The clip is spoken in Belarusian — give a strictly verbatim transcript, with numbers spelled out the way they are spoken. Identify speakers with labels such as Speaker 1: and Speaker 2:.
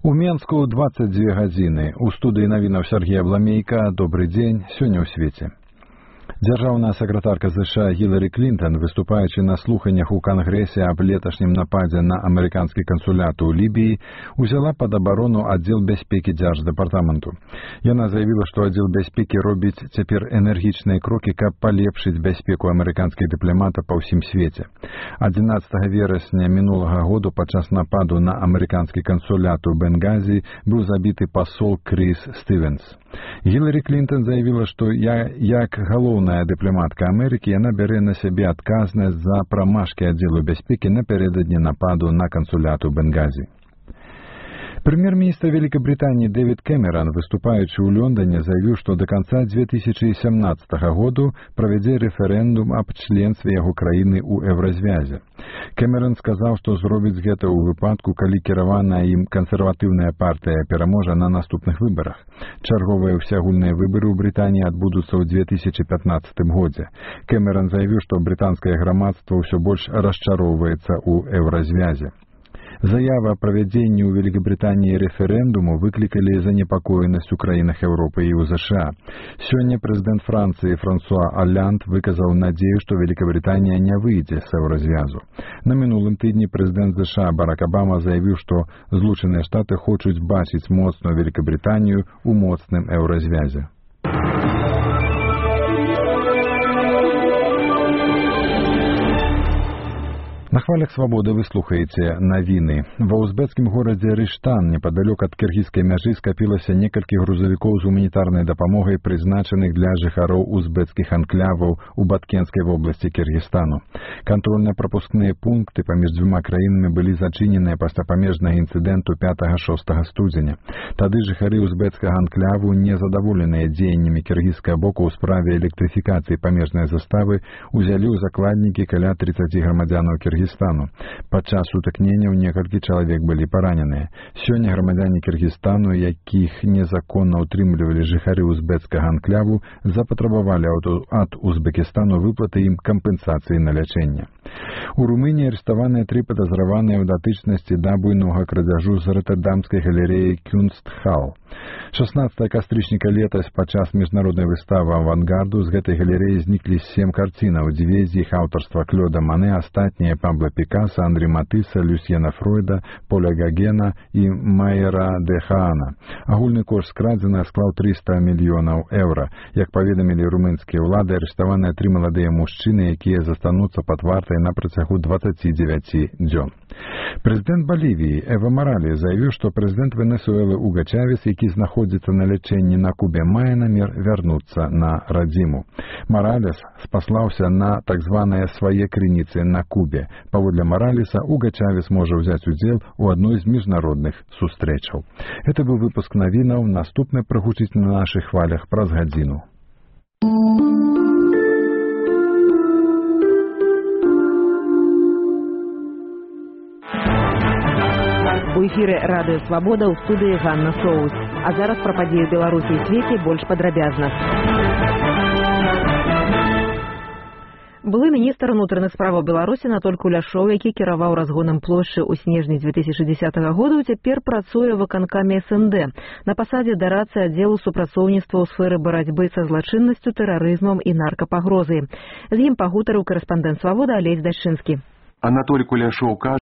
Speaker 1: У Менску двадцать две гадзіны. У студыі навінаў Сергея Бламейка. Добрый дзень. Сёння ў свеце. Дзяржаўная сакратарка ЗША Гіларі Клінтон, выступаючы на слуханнях у Кангрэсе аб леташнім нападзе на амерыканскі кансулят у Лібіі, узяла пад абарону аддзел бяспекі дзярждэпартаменту. Яна заявіла, што аддзел бяспекі робіць цяпер энергічныя крокі, каб палепшыць бяспеку амерыканскіх дыпламатаў па ўсім свеце. адзінаццатага верасня мінулага году падчас нападу на амерыканскі кансулят у Бенгазі быў забіты пасол Кріс Стывенс. Гіларі Клінтон заявіла, што я, як галоўная дыпламатка Амерыкі, яна бярэ на сябе адказнасць за прамашкі аддзелу бяспекі напярэдадні нападу на кансулят у Бенгазі. Прэм'ер-міністр Великобритании Дэвид Кэмерон, выступаючы ў Лондоне, заявіў, што да канца две тысячи семнадцатага году правядзе рэферэндум аб членстве яго краіны ў еўразвязе. Кэмерон сказаў, што зробіць гэта ў выпадку, калі кіраваная ім кансерватыўная партыя пераможа на наступных выбарах. Чарговыя ўсеагульныя выбары ў Брытаніі адбудуцца ў две тысячи пятнадцатым годзе. Кэмерон заявіў, што брытанскае грамадства ўсё больш расчароўваецца ў еўразвязе. Заява о правядзенні ў Великобритании рэферэндуму выклікалі занепакоенасць у краінах Еўропы і ў ЗША. Сёння прэзідэнт Францыі Франсуа Олланд выказаў надзею, што Великобритания не выйдзе з еўразвязу. На мінулым тыдні прэзідэнт ЗША Барак Обама заявіў, што Злучаныя Штаты хочуць бачыць моцную Великобританию ў моцным еўразвязе. На хвалях свабоды вы слухаеце навіны. Ва узбекскім горадзе Рыштан, непадалёк ад кіргізскай мяжы, скапілася некалькі грузавікоў з гуманітарнай дапамогай, прызначаных для жыхароў узбекскіх анкляваў у Баткенскай вобласці Кіргізстану. Кантрольна-прапускныя пункты паміж дзвюма краінамі былі зачыненыя пасля памежнага інцыдэнту пятага-шостага студзеня. Тады жыхары узбекскага анкляву, незадаволеныя дзеяннямі кіргізскага боку ў справе электрыфікацыі памежнай заставы, узялі ў закладнікі каля тридцати грамадзянаў Кіргізстану. Падчас сутыкненняў некалькі чалавек былі параненыя. Сёння грамадзяне Кіргізстану, якіх незаконна ўтрымлівалі жыхары узбекскага анкляву, запатрабавалі ад Узбекістану выплаты ім кампенсацыі на лячэнне. У Румыніі арыштаваныя тры падазраваныя ў датычнасці да буйнога крадзяжу з роттердамскай галерэі Кюнстхал. шаснаццатага кастрычніка летась падчас міжнароднай выставы авангарду з гэтай галерэі зніклі сем карцінаў, дзве з іх аўтарства Клёда Мане, астатнія Пабло Пікаса, Андрі Матыса, Люсьена Фройда, Поля Гагена і Майера де Хаана. Агульны кошт скрадзеных склаў трыста мільёнаў еўра. Як паведамілі румынскія ўлады, арыштаваныя тры маладыя мужчыны, якія застануцца пад вартай на працягу дваццаці дзевяці дзён. Прэзідэнт Балівіі Эва Маралес заявіў, што прэзідэнт Венесуэлы Уга Чавес, які знаходзіцца на лячэнні на Кубе, мае намер вярнуцца на радзіму. Маралес спаслаўся на так званыя свае крыніцы на Кубе. Паводле Маралеса, Уга Чавес можа ўзяць удзел у адной з міжнародных сустрэчаў. Гэта быў выпуск навінаў, наступны прагучыць на нашых хвалях праз гадзіну.
Speaker 2: У эфіры радыё Свабода, ў студыі Ганна Соус. А зараз пра падзеі ў Беларусі і свеце больш падрабязна. Былы міністр унутраных справаў Беларусі Анатоль Куляшоў, які кіраваў разгонам плошчы ў снежні две тысячи дзесятага года, цяпер працуе ў выканкаме эс эн дэ на пасадзе дарацы аддзелу супрацоўніцтва ў сферы барацьбы са злачыннасцю, тэрарызмам і наркапагрозай. З ім пагутарыў корэспандэнт Свабоды Алесь Дашчынскі.
Speaker 3: Анатоль Куляшоў кажа,